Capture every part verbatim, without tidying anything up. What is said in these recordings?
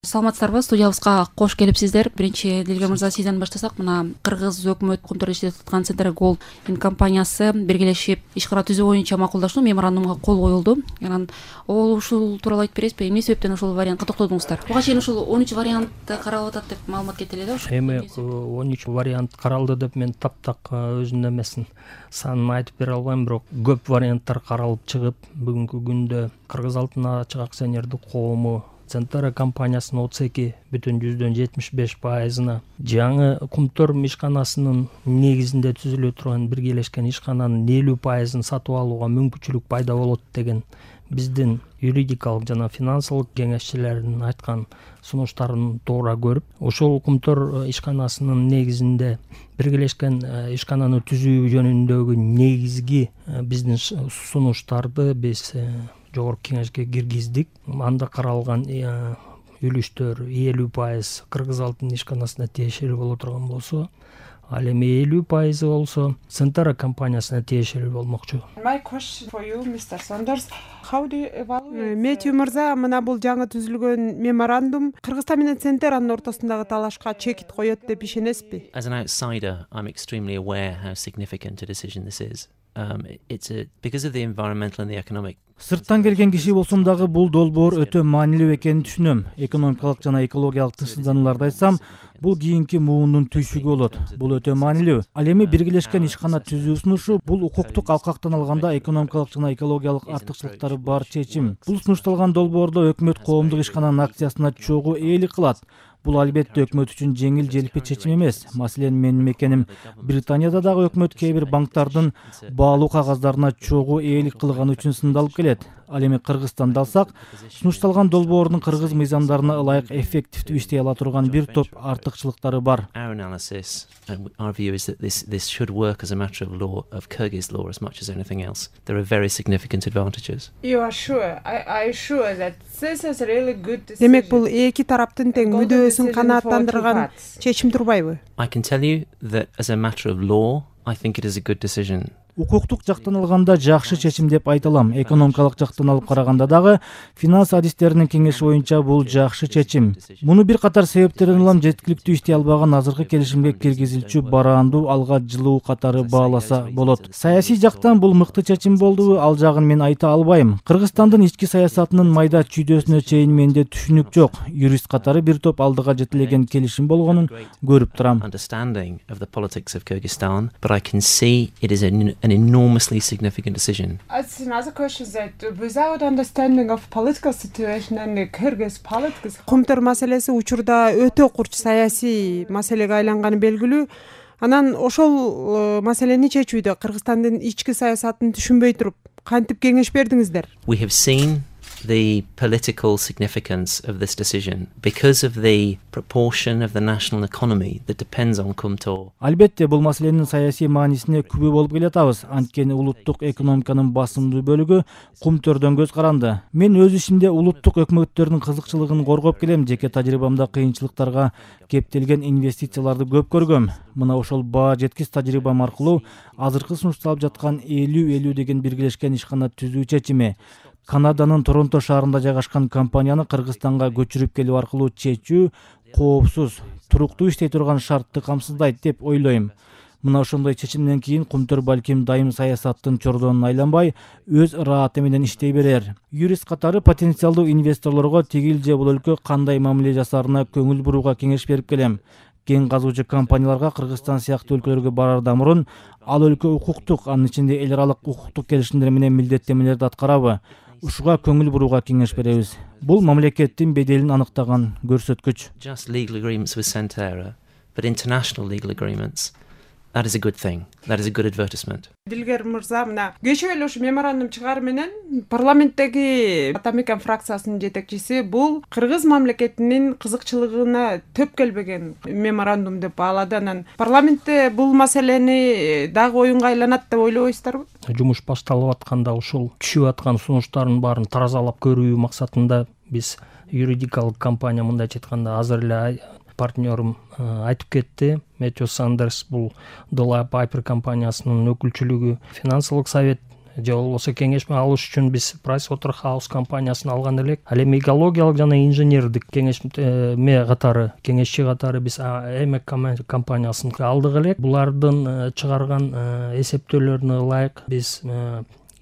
Саламатсыздарбы, студиябызга кош келипсиздер. Биринчи Дилгер мырза, сизден баштасак, мына кыргыз өкмөт Кумтурда иштеп аткан Центр Gold компаниясы биргелешип иш кара түзүү боюнча макулдашуу меморандумга кол коюлду. Анан ол ушул тууралуу айтып бересизби? Эмне себептен ушул вариантка токтодуңуздар? Буга чейин ушул он үч вариант каралып атат деп маалымат кетти эле да. Эми он үч вариант каралды деп мен таптак өзүнүн эмесин санын айтып бере албайм, бирок көп варианттар каралып чыгып, бүгүнкү күндө Кыргыз Алтын Ачык акционердик коому Центр компаниясынын отуз эки бүтүн жүздөн жетимиш беш пайызына жаңы Кумтөр ишканасынын негизинде түзүлө турган биргелешкен ишкананын элүү пайызын сатып алууга мүмкүнчүлүк пайда болот деген биздин юридикалык жана финансылык кеңешчилердин айткан сунуштарын туура көрүп, ошол Кумтөр ишканасынын негизинде биргелешкен ишкананы түзүү жөнүндөгү негизги биздин сунуштарды биз жогорку кеңешке киргиздик. Анда каралган үлүштөр элүү пайыз Кыргыз Алтын ишканасына тиешелүү боло турган болсо, ал эми элүү пайызы болсо Центр компаниясына тиешелүү болмокчу. Метью мырза, мына бул жаңы түзүлгөн меморандум Кыргызстан менен Центрнын ортосундагы талашка чекит коет деп ишенесизби? As an outsider, I'm extremely aware how significant a decision this is. Um, it's a, because of the environmental and the economic. Сырттан келген киши болсом дагы бул долбоор өтө маанилүү экенин түшүнөм. Экономикалык жана экологиялык тынчсызданууларды айтсам, бул кийинки муундун түйшүгү болот. Бул өтө маанилүү. Ал эми биргелешкен ишкана түзүү сунушу бул укуктук алкактан алганда экономикалык жана экологиялык артыкчылыктары бар чечим. Бул сунушталган долбоордо өкмөт коомдук ишкананын акциясына чогуу ээлик кылат. Бул албетте өкмөт үчүн жеңил желпи чечим эмес. Маселен, менин мекеним Британияда дагы өкмөт кээ бир банктардын баалуу кагаздарына чогуу ээлик кылганы үчүн сындалып келет. Ал эми Кыргызстанды алсак, сунушталган долбоордун кыргыз мыйзамдарына ылайык эффективдүү иштей ала турган бир топ артыкчылыктары бар. Our analysis and our view is that this this should work as a matter of law, of Kyrgyz law as much as anything else. There are very significant advantages. You are sure? I I sure that this is really good decision. Демек, бул эки тараптын тең мүдөөсүн канааттандырган чечим турбайбы? I can tell you that as a matter of law, I think it is a good decision. Укуктук жактан алганда жакшы чечим деп айта алам. Экономикалык жактан алып караганда дагы финанс адистеринин кеңеши боюнча бул жакшы чечим. Муну бир катар себептерден улам жеткиликтүү иштей албаган азыркы келишимге киргизилчү бараандуу алга жылуу катары бааласа болот. Саясий жактан бул мыкты чечим болдубу, ал жагын мен айта албайм. Кыргызстандын ички саясатынын майда чүйдөсүнө чейин менде түшүнүк жок. Юрист катары бир топ алдыга жетилеген келишим болгонун көрүп турам. Understanding of the politics of Kyrgyzstan, but I can see it is an an enormously significant decision. It's another question that without understanding of political situation and the Kyrgyz politics. Кумтөр маселеси учурда өтө курч саясий маселеге айланганы белгилүү. Анан ошол маселени чечүүдө Кыргызстандын ички саясатын түшүнбөй туруп, кантип кеңеш бердиңиздер? We have seen the political significance of this decision because of the proportion of the national economy that depends on Kumtor. Албетте, бул маселенин саясий маанисине күбө болуп келатабыз. Анткени улуттук экономиканын басымдуу бөлүгү Кумтөрдөн көз каранды. Мен өз ишимде улуттук өкмөттөрдүн кызыкчылыгын коргоп келем. Жеке тажрыйбамда кыйынчылыктарга кептелген инвестицияларды көп көргөм. Мына ошол баа жеткис тажрыйбам аркылуу азыркы сунушталып жаткан элүү элүү деген биргелешкен ишкана түзүү чечими Канаданын Торонто шаарында жайгашкан компанияны Кыргызстанга көчүрүп келүү аркылуу чечүү коопсуз, туруктуу иштей турган шартты камсыздайт деп ойлойм. Мына ошондой чечимден кийин Кумтөр балким дайым саясаттын чордонун айланбай, өз ырааты менен иштей берер. Юрист катары потенциалдуу инвесторлорго тигил же бул өлкө кандай мамиле жасаарына көңүл бурууга кеңеш берип келем. Кен казуучу компанияларга Кыргызстан сыяктуу өлкөлөргө барардан мурун ал өлкө укуктук, анын ичинде эл аралык укуктук келишимдер менен милдеттенмелерди аткарабы? Ушуга көңүл бурууга кеңеш беребиз. Бул мамлекеттин беделин аныктаган көрсөткүч. Just legal agreements with Centera, but international legal agreements. That is a good thing. That is a good advertisement. Дилгер мырза, мына кечээ эле ушу меморандум чыгары менен парламенттеги Атамекен фракциясынын жетекчиси бул кыргыз мамлекетинин кызыкчылыгына төп келбеген меморандум деп баалады. Анан парламентте бул маселени дагы оюнга айланат деп ойлобойсуздарбы? Жумуш башталып атканда ушул түшүп аткан сунуштардын баарын таразалап көрүү максатында биз юридикалык компания, мындайча айтканда, азыр эле партнерым айтып кетти. Метью Сандерс бул Долай Пайпер компаниясынын өкүлчүлүгү, финансылык совет же болбосо кеңешме алыш үчүн биз Pricewaterhouse компаниясын алган элек. Ал эми экологиялык жана инженердик кеңешме катары, кеңешчи катары биз эймек компаниясын алдык элек. Булардын чыгарган эсептөөлөрүнө ылайык биз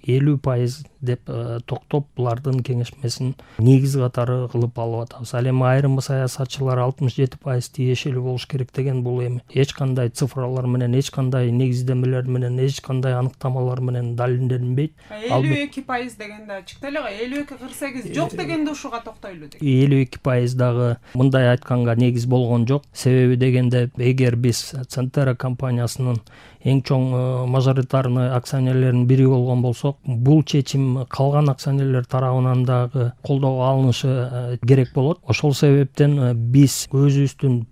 элүү пайыз деп токтоп булардын кеңешмесин негиз катары кылып алып атабыз. Ал эми айрым саясатчылар алтымыш жети пайыз тиешелүү болуш керек деген, бул эми эч кандай цифралар менен, эч кандай негиздемелер менен, эч кандай аныктамалар менен далилденбейт. элүү эки пайыз дегенде чыкты эле го, элүү эки кырк сегиз жок дегенде ушуга токтойлу деген. элүү эки пайыз дагы мындай айтканга негиз болгон жок. Себеби дегенде, эгер биз Centera компаниясынын эң чоң мажоритарный акционерлеринин бири болгон болсок, бул чечим калган акционерлер тарабынан дагы колдоо алынышы керек болот. Ошол себептен биз өзүбүздүн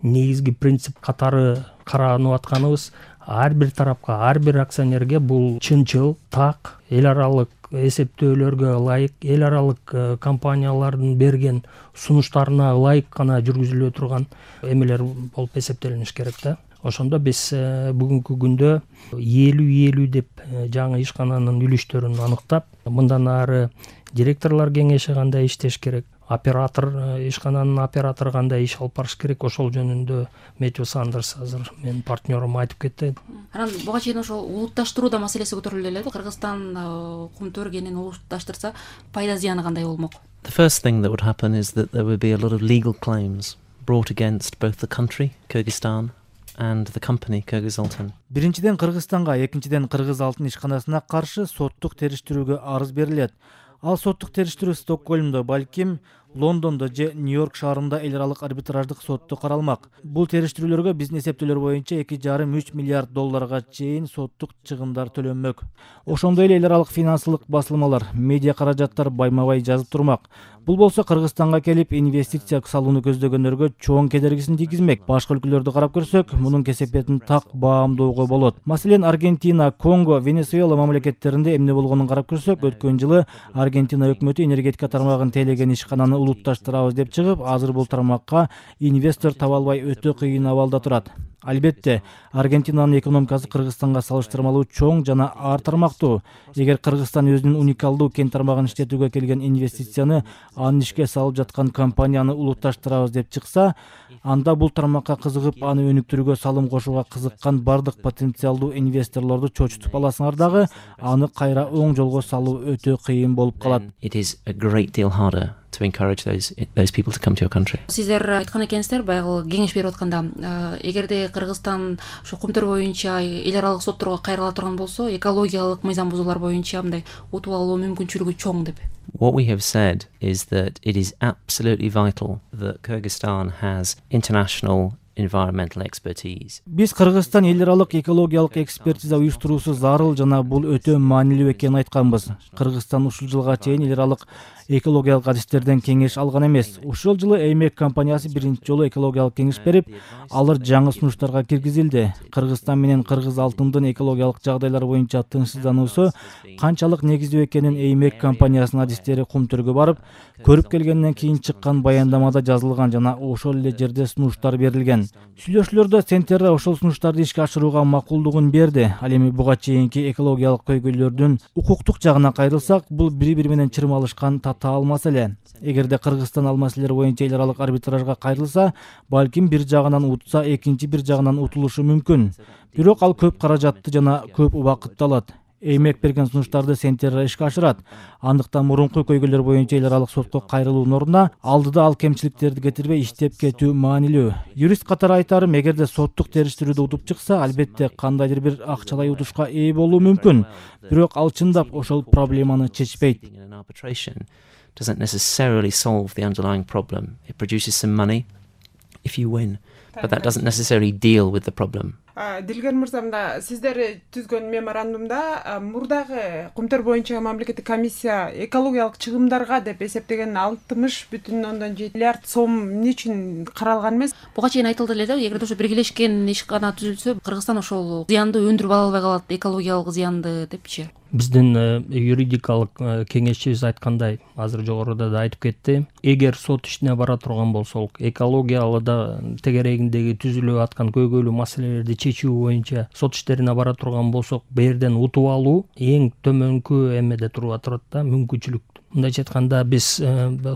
негизги принцип катары каранып атканыбыз, ар бир тарапка, ар бир акционерге бул чынчыл, так, эл аралык эсептөөлөргө ылайык, эл аралык компаниялардын берген сунуштарына ылайык гана жүргүзүлө турган эмелер болуп эсептелиниш керек да. Ошондо биз бүгүнкү күндө элүү элүү деп жаңы ишкананын үлүштөрүн аныктап, мындан ары директорлор кеңеши кандай иштеш керек, оператор, ишкананын оператору кандай иш алып барыш керек, ошол жөнүндө Мэтью Сандерс азыр менин партнерим айтып кетти. Анан буга чейин ошол улутташтыруу да маселеси көтөрүлдү эле. Кыргызстан кумтөр кенин улутташтырса, пайда зыяны кандай болмок? The first thing that would happen is that there would be a lot of legal claims brought against both the country, Kyrgyzstan, and the company Kyrgyzaltyn. Биринчиден Кыргызстанга, экинчиден Кыргыз алтын ишканасына каршы соттук териштирүүгө арыз берилет. Ал соттук териштирүү Стокгольмдо, балким Лондондо же Нью-Йорк шаарында эл аралык арбитраждык сотто каралмак. Бул териштирүүлөргө биздин эсептөөлөр боюнча эки жарым үч миллиард долларга чейин соттук чыгымдар төлөнмөк. Ошондой эле эл аралык финансылык басылмалар, медиа каражаттар байма-бай жазып турмак. Бул болсо Кыргызстанга келип инвестиция салууну көздөгөндөргө чоң кедергисин тийгизмек. Башка өлкөлөрдү карап көрсөк, мунун кесепетин так баамдоого болот. Маселен, Аргентина, Конго, Венесуэла мамлекеттеринде эмне болгонун карап көрсөк, өткөн жылы Аргентина өкмөтү энергетика тармагын тейлеген ишкананы улутташтырабыз деп чыгып, азыр бул тармакка инвестор таба албай өтө кыйын абалда турат. Албетте, Аргентинанын экономикасы Кыргызстанга салыштырмалуу чоң жана ар тармактуу. Эгер Кыргызстан өзүнүн уникалдуу кен тармагын иштетүүгө келген инвестицияны анын ишке салып жаткан компанияны улутташтырабыз деп чыкса, анда бул тармакка кызыгып, аны өнүктүрүүгө салым кошууга кызыккан бардык потенциалдуу инвесторлорду чочутуп аласыңар дагы, аны кайра оң жолго салуу өтө кыйын болуп калат. It is a great deal harder to encourage those those people to come to your country. Сиздер айткан экенсиздер, баягы кеңеш берип атканда, эгерде Кыргызстан ошо кумтөр боюнча эл аралык сотторго кайрыла турган болсо, экологиялык мыйзам бузуулар боюнча мындай утуп алуу мүмкүнчүлүгү чоң деп. What we have said is that it is absolutely vital that Kyrgyzstan has international environmental expertise. Биз Кыргызстан эл аралык экологиялык экспертиза уюштуруусу зарыл жана бул өтө маанилүү экенин айтканбыз. Кыргызстан ушул жылга чейин эл аралык экологиялык адистерден кеңеш алган эмес. Ушул жылы эймек компаниясы биринчи жолу экологиялык кеңеш берип, алар жаңы сунуштарга киргизилди. Кыргызстан менен Кыргыз алтындын экологиялык жагдайлар боюнча тынчсыздануусу канчалык негиздүү экенин эймек компаниясынын адистери кумтөргө барып, көрүп келгенден кийин чыккан баяндамада жазылган жана ошол эле жерде сунуштар берилген. Сүйлөшүүлөрдө Centera ошол сунуштарды ишке ашырууга макулдугун берди. Ал эми буга чейинки экологиялык көйгөйлөрдүн укуктук жагына кайрылсак, бул бири-бири менен чырмалышкан татаал маселе. Эгерде Кыргызстан ал маселелер боюнча эл аралык арбитражга кайрылса, балким бир жагынан утса, экинчи бир жагынан утулушу мүмкүн. Бирок ал көп каражатты жана көп убакытты алат. Эймек берген сунуштарды Centera ишке ашырат. Андыктан мурунку көйгөйлөр боюнча эл аралык сотко кайрылуунун ордуна алдыда ал кемчиликтерди кетирбей иштеп кетүү маанилүү. Юрист катары айтарым, эгерде соттук териштирүүдө утуп чыкса, албетте кандайдыр бир акчалай утушка ээ болуу мүмкүн. Бирок ал чындап ошол проблеманы чечпейт. Doesn't necessarily solve the underlying problem. It produces some money if you win, but that doesn't necessarily deal with the problem. Дилгер мырза, мында сиздер түзгөн меморандумда мурдагы кумтөр боюнча мамлекеттик комиссия экологиялык чыгымдарга деп эсептеген алтымыш бүтүн ондон жети миллиард сом эмне үчүн каралган эмес? Буга чейин айтылды эле да, эгерде ошо биргелешкен ишкана түзүлсө, Кыргызстан ошол зыянды өндүрүп ала албай калат, экологиялык зыянды депчи. Биздин юридикалык кеңешчибиз айткандай, азыр жогоруда да айтып кетти, эгер сот ишине бара турган болсок, экологиялы да тегерегиндеги түзүлүп аткан көйгөйлүү маселелерди чечүү боюнча сот иштерине бара турган болсок, бул жерден утуп алуу эң төмөнкү эмеде туруп турат да, мүмкүнчүлүк. Мындайча айтканда, биз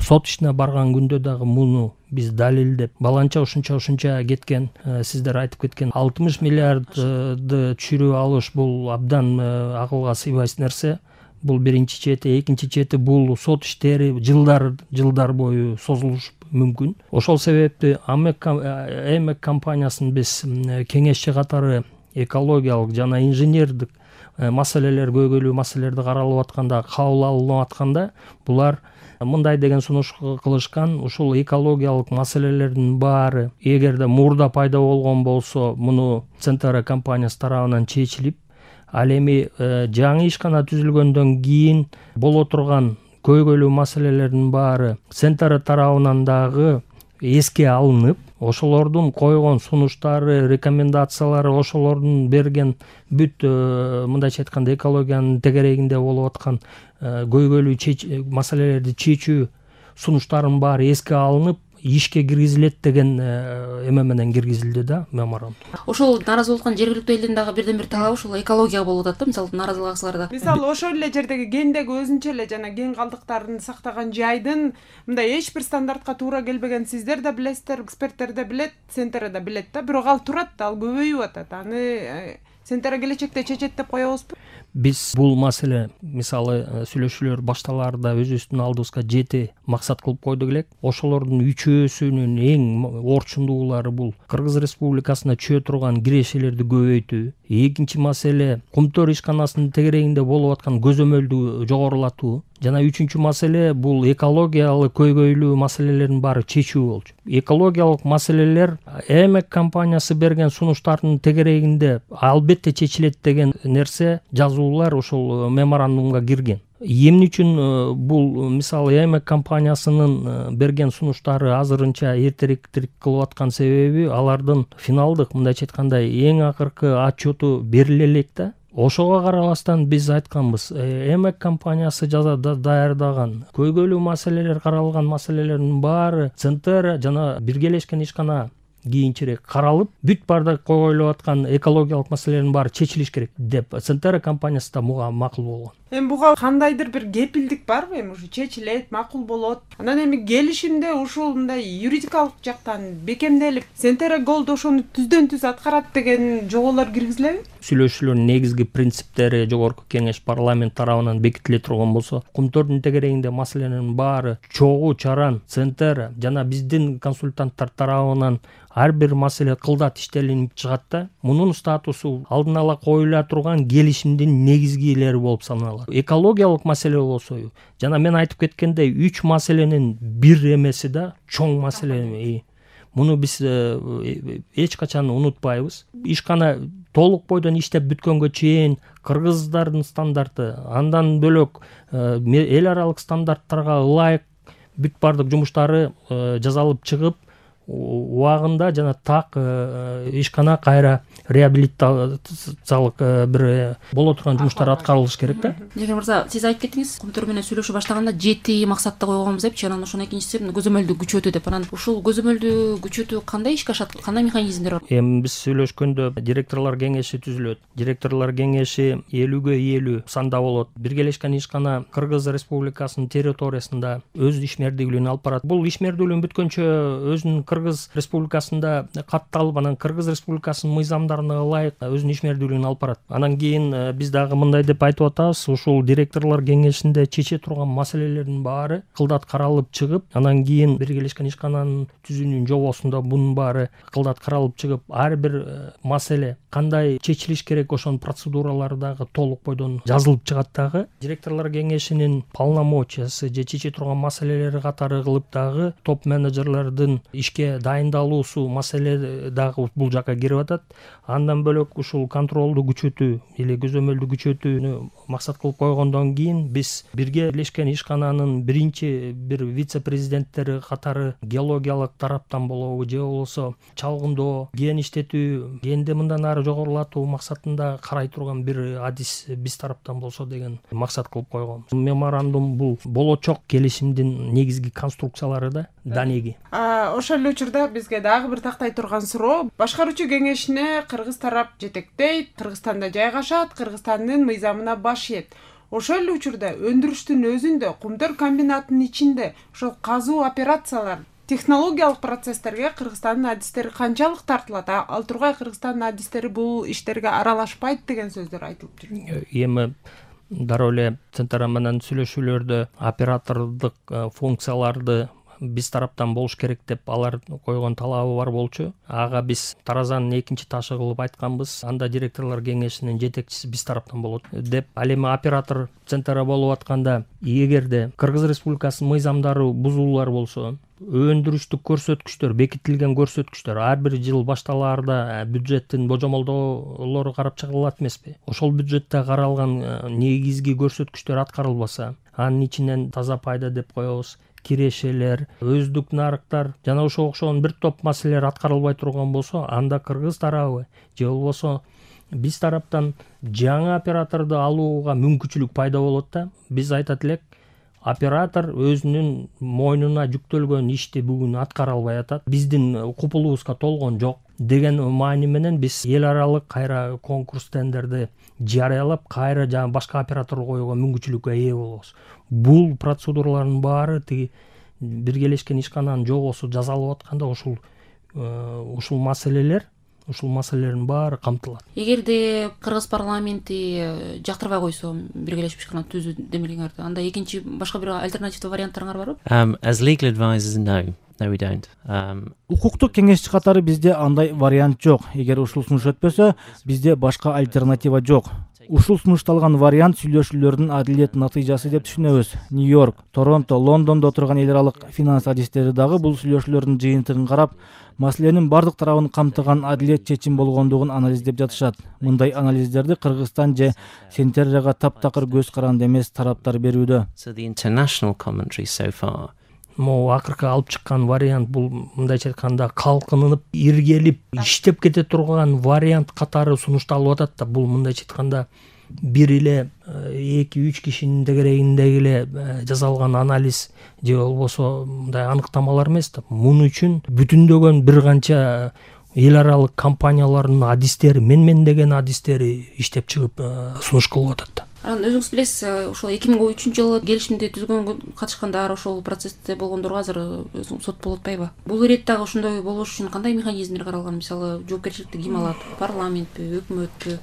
сот ишине барган күндө дагы муну биз далилдеп, баланча ушунча ушунча кеткен, сиздер айтып кеткен алтымыш миллиардды түшүрүп алыш, бул абдан акылга сыйбайт нерсе. Бул биринчи чети, экинчи чети бул сот иштери жылдар жылдар бою созулуш мүмкүн. Ошол себепти Эмек компаниясын биз кеңешчи катары экологиялык жана инженердик маселелер, көйгөйлүү маселелерди каралып атканда, кабыл алынып атканда, булар мындай деген сунуш кылышкан: ушул экологиялык маселелердин баары эгерде мурда пайда болгон болсо, муну Центара компаниясы тарабынан чечилип, ал эми жаңы ишкана түзүлгөндөн кийин боло турган көйгөйлүү маселелердин баары Центара тарабынан дагы эске алынып, ошолордун койгон сунуштары, рекомендациялары, ошолордун берген бүт мындайча айтканда экологиянын тегерегинде болуп аткан көйгөйлүү маселелерди чечүү сунуштарынын баары эске алынып, ишке киргизилет деген эме менен киргизилди да, меморандум. Ошол нааразы болгон жергиликтүү элдин дагы бирден бир талабы ушул экология болуп атат да, мисалы нааразылык аксыларда. Мисалы ошол эле жердеги кендеги өзүнчө эле жана кен калдыктарын сактаган жайдын мындай эч бир стандартка туура келбеген, сиздер да билесиздер, эксперттер да билет, Центр да билет да, бирок ал турат, ал көбөйүп атат. Аны Центр келечекте чечет деп коебузбу? Биз бул маселе, мисалы сүйлөшүүлөр башталаарда өзүбүздүн алдыбызга жети максат кылып койдук элек. Ошолордун үчөөсүнүн эң орчундуулары бул Кыргыз Республикасына чыга турган кирешелерди көбөйтүү. Экинчи маселе Кумтөр ишканасынын тегерегинде болуп аткан көзөмөлдү жогорулатуу. Жана үчүнчү маселе бул экологиялык көйгөйлүү маселелердин баары чечүү болчу. Экологиялык маселелер Эмек компаниясы берген сунуштардын тегерегинде албетте чечилет деген нерсе, жазуулар ошол меморандумга кирген. Эмне үчүн бул мисалы Эмек компаниясынын берген сунуштары азырынча эртерээк кылып аткан себеби, алардын финалдык, мындайча айтканда, эң акыркы отчету бериле элек да. Ошого карабастан биз айтканбыз, Эмек компаниясы даярдаган көйгөйлүү маселелер, каралган маселелердин баары Центр жана биргелешкен ишкана кийинчерээк каралып, бүт бардак коюлуп аткан экологиялык маселелердин баары чечилиш керек деп Центр компаниясы да буга макул болгон. Эми буга кандайдыр бир кепилдик барбы? Эми ушу чечилет, макул болот. Анан эми келишимде ушул мындай юридикалык жактан бекемделип, Центр Голд ошону түздөн түз аткарат деген жоболор киргизилеби? Сүйлөшүүлөрдүн негизги принциптери жогорку кеңеш парламент тарабынан бекитиле турган болсо, Кумтөрдүн тегерегинде маселенин баары чогуу чаран Центр жана биздин консультанттар тарабынан ар бир маселе кылдат иштелинип чыгат да. Мунун статусу алдын ала коюла турган келишимдин негизгилери болуп саналат. Экологиялык маселе болсо, жана мен айтып кеткендей, үч маселенин бир эмеси да чоң маселе. Муну биз эч качан унутпайбыз. Ишкана толук бойдон иштеп бүткөнгө чейин кыргыздардын стандарты, андан бөлөк эл аралык стандарттарга ылайык бүт бардык жумуштары жасалып чыгып, убагында жана так ишкана кайра реабилитациялык бир боло турган жумуштар аткарылыш керек да. Жегер мырза, сиз айтып кеттиңиз, Кумтөр менен сүйлөшүп баштаганда жети максатты койгонбуз депчи, анан ошонун экинчиси көзөмөлдү күчөтүү деп. Анан ушул көзөмөлдү күчөтүү кандай ишке ашат? Кандай механизмдер бар? Эми биз сүйлөшкөндө директорлор кеңеши түзүлөт. Директорлор кеңеши элүүгө элүү санда болот. Биргелешкен ишкана Кыргыз Республикасынын территориясында өз ишмердүүлүгүн алып барат. Бул ишмердүүлүгүн бүткөнчө өзүнүн Кыргыз Республикасында катталып, анан Кыргыз Республикасынын мыйзамдарына ылайык өзүнүн ишмердүүлүгүн алып барат. Анан кийин биз дагы мындай деп айтып атабыз, ушул директорлор кеңешинде чече турган маселелердин баары кылдат каралып чыгып, анан кийин биргелешкен ишкананын түзүүнүн жобосунда бунун баары кылдат каралып чыгып, ар бир маселе кандай чечилиш керек, ошонун процедуралары дагы толук бойдон жазылып чыгат дагы. Директорлор кеңешинин полномочиясы же чече турган маселелери катары кылып дагы топ менеджерлердин ишке бизге дайындалуусу маселе дагы бул жака кирип атат. Андан бөлөк ушул контролду күчөтүү или көзөмөлдү күчөтүүнү максат кылып койгондон кийин биз Бирге Бирлешкен ишкананын биринчи бир вице-президенттери катары геологиялык тараптан болобу же болбосо чалгындоо, ген иштетүү, генди мындан ары жогорулатуу максатында карай турган бир адис биз тараптан болсо деген максат кылып койгонбуз. Меморандум бул болочок келишимдин негизги конструкциялары да данеги. Ошол эле учурда бизге дагы бир тактай турган суроо. Башкаруучу кеңешине кыргыз тарап жетектейт, Кыргызстанда жайгашат, Кыргызстандын мыйзамына баш ийет. Ошол эле учурда өндүрүштүн өзүндө, кумтөр комбинатынын ичинде ошол казуу операциялар, технологиялык процесстерге Кыргызстандын адистери канчалык тартылат? Ал тургай Кыргызстандын адистери бул иштерге аралашпайт деген сөздөр айтылып жүр. Эми дароо эле Центра менен сүйлөшүүлөрдө оператордук функцияларды биз тараптан болуш керек деп алар койгон талабы бар болчу. Ага биз таразанын экинчи ташы кылып айтканбыз. Анда директорлор кеңешинин жетекчиси биз тараптан болот деп. Ал эми оператор Центра болуп атканда, эгерде Кыргыз Республикасынын мыйзамдары бузулуулар болсо, өндүрүштүк көрсөткүчтөр, бекитилген көрсөткүчтөр ар бир жыл башталаарда бюджеттин божомолдоолору карап чыгылат эмеспи? Ошол бюджетте каралган негизги көрсөткүчтөр аткарылбаса, анын ичинен таза пайда деп коебуз, кирешелер, өздүк нарыктар жана ошого окшогон бир топ маселелер аткарылбай турган болсо, анда Кыргыз тарабы же болбосо биз тараптан жаңы операторду алууга мүмкүнчүлүк пайда болот да. Биз айтат элек, оператор өзүнүн мойнуна жүктөлгөн ишти бүгүн аткара албай атат, биздин купулубузга толгон жок деген маани менен биз эл аралык кайра конкурс тендерди жарыялап, кайра жаңы башка оператор коюуга мүмкүнчүлүккө ээ болобуз. Бул процедуралардын баары тиги Биргелешкен ишкананын жобосу жасалып атканда ушул ушул маселелер ушул маселелердин баары камтылат. Эгерде Кыргыз парламенти жактырбай койсо биргелешип ишкана түзүү демилгеңерди, анда экинчи башка бир альтернативдүү варианттарыңар барбы? Um, as legal advisors, no. No, we don't. Um... Укуктук кеңешчи катары бизде андай вариант жок. Эгер ушул сунуш өтпөсө, бизде башка альтернатива жок. Ушул сунушталган вариант сүйлөшүүлөрдүн адилет натыйжасы деп түшүнөбүз. Нью-Йорк, Торонто, Лондондо отурган эл аралык финанс адистери дагы бул сүйлөшүүлөрдүн жыйынтыгын карап, маселенин бардык тарабын камтыган адилет чечим болгондугун анализдеп жатышат. Мындай анализдерди Кыргызстан же Центрага таптакыр көз каранды эмес тараптар берүүдө. So the international commentary so far Могу акыркы алып чыккан вариант бул мындайча айтканда калкынып, иргелип, иштеп кете турган вариант катары сунушталып атат да. Бул мындайча айтканда бир эле эки үч кишинин тегерегиндеги эле жасалган анализ же болбосо мындай аныктамалар эмес да. Муну үчүн бүтүндөгөн бир канча эл аралык компаниялардын адистери, мен-мен деген адистери иштеп чыгып сунуш кылып атат да. Анан өзүңүз билесиз, ошол эки миң он үчүнчү жылы келишимди түзгөнгө катышкандар, ошол процессте болгондорго азыр сот болуп атпайбы? Бул иреттагы ошондой болуш үчүн кандай механизмдер каралган? Мисалы, жоопкерчиликти ким алат? Парламентпи, өкмөтпү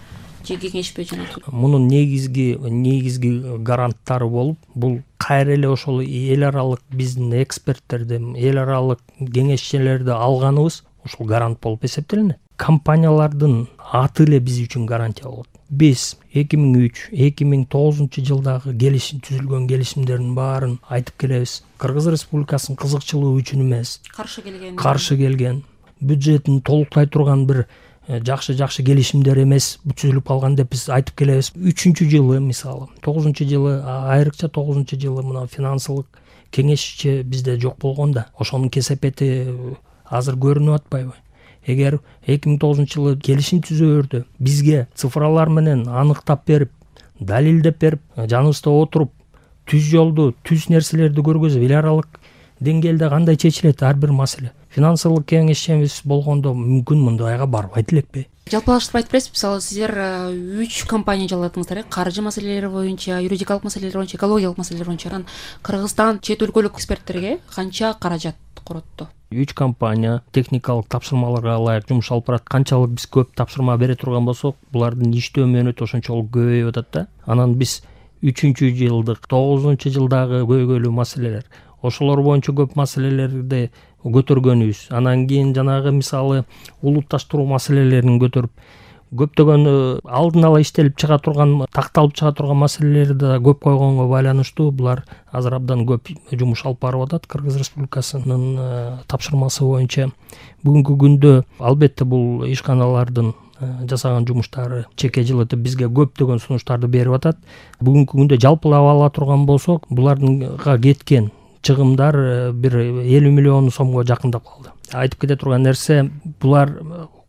же кеңешпи жана? Мунун негизги негизги гаранттары болуп, бул кайра эле ошол эл аралык биздин эксперттерди, эл аралык кеңешчилерди алганыбыз ушул гарант болуп эсептелинет. Компаниялардын аты эле биз үчүн гарантия болот. Биз эки миң үч эки миң тогузунчу жылдагы келишим түзүлгөн келишимдердин баарын айтып келебиз. Кыргыз Республикасынын кызыкчылыгы үчүн эмес, каршы келген каршы келген бюджетин толуктай турган бир жакшы жакшы келишимдер эмес түзүлүп калган деп биз айтып келебиз. Үчүнчү жылы мисалы, тогузунчу жылы, айрыкча тогузунчу жылы мына финансылык кеңешчи бизде жок болгондо, ошонун кесепети азыр көрүнүп атпайбы? Эгер эки миң тогузунчу жылы келишим түзүүрдө бизге цифралар менен аныктап берип, далилдеп берип, жаныбызда отуруп, түз жолду, түз нерселерди көргөзүп, эл аралык деңгээлде кандай чечилет ар бир маселе. Финансылык кеңешчибиз болгондо мүмкүн мындайга барбайт элекпи? Жалпылаштырып айтып бересиз, мисалы сиздер үч компания жалаттыңыздар, каржы маселелери боюнча, юридикалык маселелер боюнча, экологиялык маселелер боюнча. Анан Кыргызстан чет өлкөлүк эксперттерге канча каражат коротто? Үч компания техникалык тапшырмаларга ылайык жумуш алып барат. Канчалык биз көп тапшырма бере турган болсок, булардын иштөө мөөнөтү ошончолук көбөйүп атат да. Анан биз үчүнчү жылдык, тогузунчу жылдагы көйгөйлүү маселелер, ошолор боюнча көп маселелерди көтөргөнүбүз. Анан кийин жанагы мисалы улутташтыруу маселелерин көтөрүп, көптөгөн алдын ала иштелип чыга турган, такталып чыга турган маселелерди да көп койгонго байланыштуу булар азыр абдан көп жумуш алып барып атат Кыргыз Республикасынын тапшырмасы боюнча. Бүгүнкү күндө албетте бул ишканалардын жасаган жумуштары чекке жылытып бизге көптөгөн сунуштарды берип атат. Бүгүнкү күндө жалпылап ала турган болсок, буларга кеткен чыгымдар бир элүү миллион сомго жакындап калды. Айтып кете турган нерсе, булар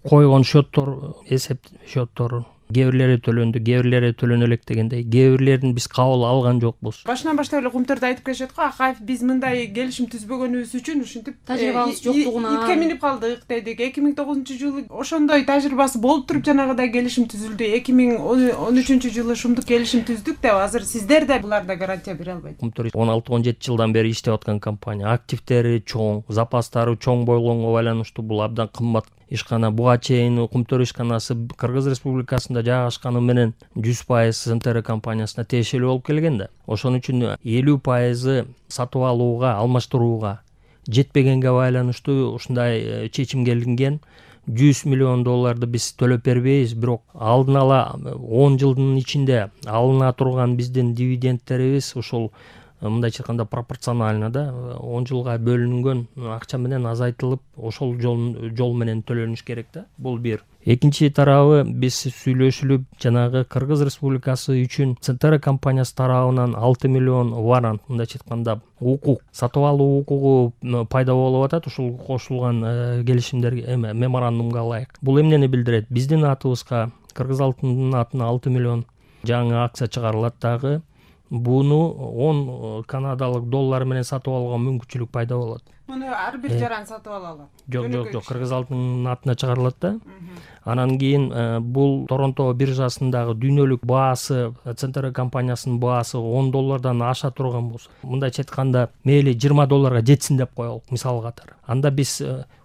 койгон счеттор, эсеп счеттору кээ бирлери төлөндү, кээ бирлери төлөнө элек дегендей, кээ бирлерин биз кабыл алган жокпуз. Башынан баштап эле Кумтөрдө айтып келишет го, Акаев биз мындай келишим түзбөгөнүбүз үчүн ушинтип тажрыйбабыз жоктугунан итке минип калдык дедик. эки миң тогузунчу жылы ошондой тажрыйбасы болуп туруп жанагыдай келишим түзүлдү. эки миң он үчүнчү жылы ушундук келишим түздүк деп азыр сиздер да буларда гарантия бере албайт. Кумтөр он алты он жети жылдан бери иштеп аткан компания, активдери чоң, запастары чоң болгонго байланыштуу бул абдан кымбат ишкана. Буга чейин Кумтөр ишканасы Кыргыз Республикасында жайгашканы менен жүз пайыз СНТР компаниясына тиешелүү болуп келген да. Ошон үчүн элүү пайызы сатып алууга, алмаштырууга жетпегенге байланыштуу ушундай чечимге келинген. жүз миллион долларды биз төлөп бербейбиз, бирок алдын ала он жылдын ичинде алына турган биздин дивидендтерибиз ушул мындайча айтканда пропорционально да он жылга бөлүнгөн акча менен азайтылып, ошол жол жол менен төлөнүш керек да. Бул бир. Экинчи тарабы, биз сүйлөшүлүп жанагы Кыргыз Республикасы үчүн СНТР компаниясы тарабынан алты миллион варант, мындайча айтканда укук, сатып алуу укугу пайда болуп атат ушул кошулган келишимдерге, эме меморандумга ылайык. Бул эмнени билдирет? Биздин атыбызга, Кыргыз алтынынын атына алты миллион жаңы акция чыгарылат дагы. Буну он канадалык доллар менен сатып алууга мүмкүнчүлүк пайда болот. Муну ар бир жаран сатып ала алат. Жок, жок, жок, Кыргыз алтынынын атына чыгарылат да. Анан кийин бул Торонто биржасындагы дүйнөлүк баасы, СНТР компаниясынын баасы он доллардан аша турган болсо, мындайча айтканда, мейли жыйырма долларга жетсин деп коелук, мисал катары. Анда биз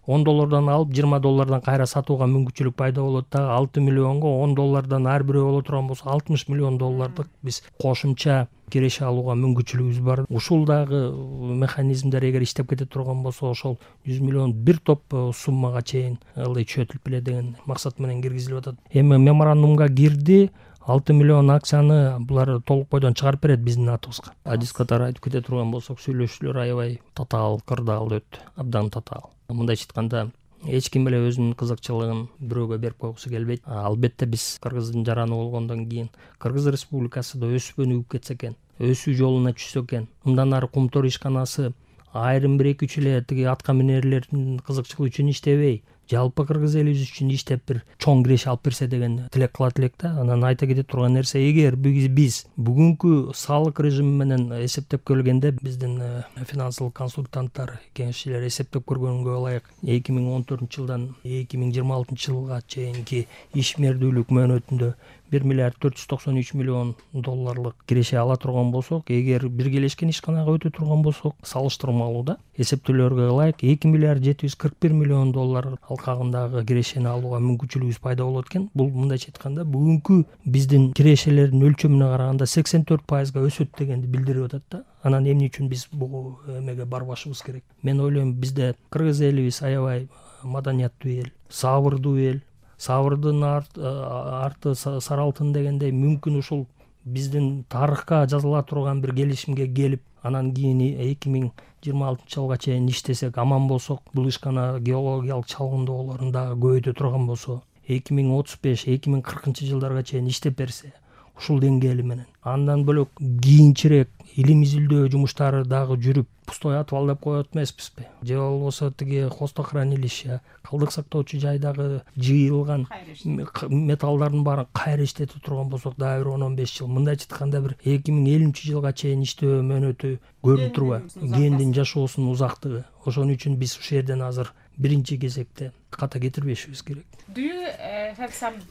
он доллардан алып жыйырма доллардан кайра сатууга мүмкүнчүлүк пайда болот да. алты миллионго он доллардан ар бирөө боло турган болсо, алтымыш миллион доллардык биз кошумча киреше алууга мүмкүнчүлүгүбүз бар. Ушул дагы механизмдер эгер иштеп кете турган болсо, ошол жүз миллион бир топ суммага чейин ылдый чөтүлүп эле деген максат менен киргизилип атат. Эми меморандумга кирди, алты миллион акцияны булар толук бойдон чыгарып берет биздин атыбызга. Адис катары айтып кете турган болсок, сүйлөшүүлөр аябай татаал, кырдаал өттү, абдан татаал. Мындайча айтканда, эч ким эле өзүнүн кызыкчылыгын бирөөгө берип койгусу келбейт. Албетте биз Кыргыздын жараны болгондон кийин Кыргыз Республикасында өсүп өнүгүп кетсе экен, өсүү жолуна түшсө экен, мындан ары Кумтөр ишканасы айрым бир эки үч эле тиги атка минерлердин кызыкчылыгы үчүн иштебей, жалпы Кыргыз элибиз үчүн иштеп бир чоң киреше алып берсе деген тилек кылат элек да. Анан айта кете турган нерсе, эгер биз бүгүнкү салык режими менен эсептеп көргөндө, биздин финансылык консультанттар, кеңешчилер эсептеп көргөнгө ылайык эки миң он төртүнчү жылдан эки миң жыйырма алтынчы жылга чейинки ишмердүүлүк мөөнөтүндө бир миллиард төрт жүз токсон үч миллион долларлык киреше ала турган болсок, эгер биргелешкен ишканага өтө турган болсок, салыштырмалуу да эсептөөлөргө ылайык эки миллиард жети жүз кырк бир миллион доллар алкагындагы кирешени алууга мүмкүнчүлүгүбүз пайда болот экен. Бул мындайча айтканда бүгүнкү биздин кирешелердин өлчөмүнө караганда сексен төрт пайызга өсөт дегенди билдирип атат да. Анан эмне үчүн биз бул эмеге барбашыбыз керек? Мен ойлойм, бизде Кыргыз элибиз аябай маданияттуу эл, сабырдуу эл. Сабырдын арты сары алтын дегендей, мүмкүн ушул биздин тарыхка жазыла турган бир келишимге келип, анан кийин эки миң жыйырма алтынчы жылга чейин иштесек, аман болсок, бул ишкана геологиялык чалгындоолорун дагы көбөйтө турган болсо, эки миң отуз беш эки миң кыркынчы жылдарга чейин иштеп берсе, ушул деңгээли менен. Андан бөлөк кийинчерээк илим изилдөө жумуштары дагы жүрүп, пустой атып деп коет эмеспизби? Же болбосо тиги хвостохранилище, калдык сактоочу жайдагы жыйылган металлдардын баарын кайра иштете турган болсок, дагы бир он он беш жыл, мындайча айтканда бир эки миң элүүнчү жылга чейин иштөө мөөнөтү көрүнүп турбайбы? Кендин жашоосунун узактыгы. Ошон үчүн биз ушул жерден азыр биринчи кезекте ката кетирбешибиз керек.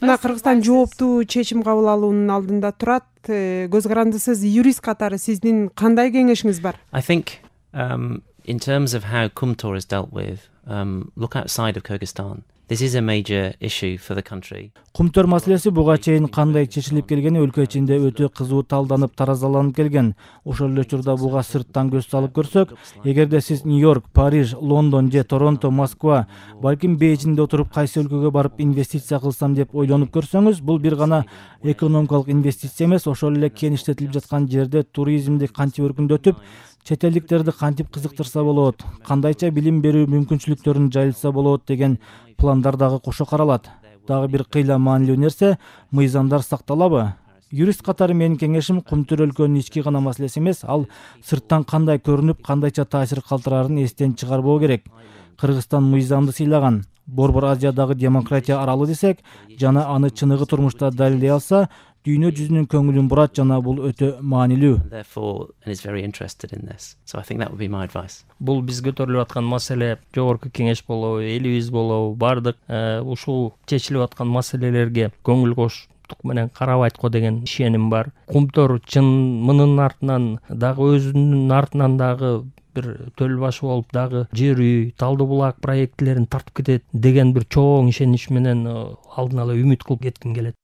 Мына Кыргызстан жооптуу чечим кабыл алуунун алдында турат. Көз карандысыз юрист катары сиздин кандай кеңешиңиз бар? I think um, In terms of how Kumtor is dealt with, um, look outside of Kyrgyzstan. This is a major issue for the country. Кумтөр маселеси буга чейин кандай чечилип келгени өлкө ичинде өтө кызуу талданып, таразаланып келген. Ошол эле учурда буга сырттан көз салып көрсөк, эгерде сиз Нью-Йорк, Париж, Лондон же Торонто, Москва, балким Бейжиңде отуруп кайсы өлкөгө барып инвестиция кылсам деп ойлонуп көрсөңүз, бул бир гана экономикалык инвестиция эмес, ошол эле кен иштетилип жаткан жерде туризмди кантип өркүндөтүп, чет элдиктерди кантип кызыктырса болот, кандайча билим берүү мүмкүнчүлүктөрүн жайылтса болот деген пландар дагы кошо каралат. Дагы бир кыйла маанилүү нерсе, мыйзамдар сакталабы? Юрист катары менин кеңешим Кумтөр өлкөнүн ички гана маселеси эмес, ал сырттан кандай көрүнүп, кандайча таасир калтырарын эстен чыгарбоо керек. Кыргызстан мыйзамды сыйлаган. Борбор Азиядагы демократия аралы десек, жана аны чыныгы турмушта далилдей алса, дүйнө жүзүнүн көңүлүн бурат, жана бул өтө маанилүү. Therefore, and is very interested in this. So I think that would be my advice. Бул биз көтөрүлүп аткан маселе, жогорку кеңеш болобу, элибиз болобу, бардык ушул чечилип аткан маселелерге көңүл коштук менен карабайт го деген ишеним бар. Кумтөр чын мынын артынан дагы өзүнүн артынан дагы бир төл башы болуп дагы жер үй, Талды булак проектилерин тартып кетет деген бир чоң ишенич менен алдын ала үмүт кылып кетким келет.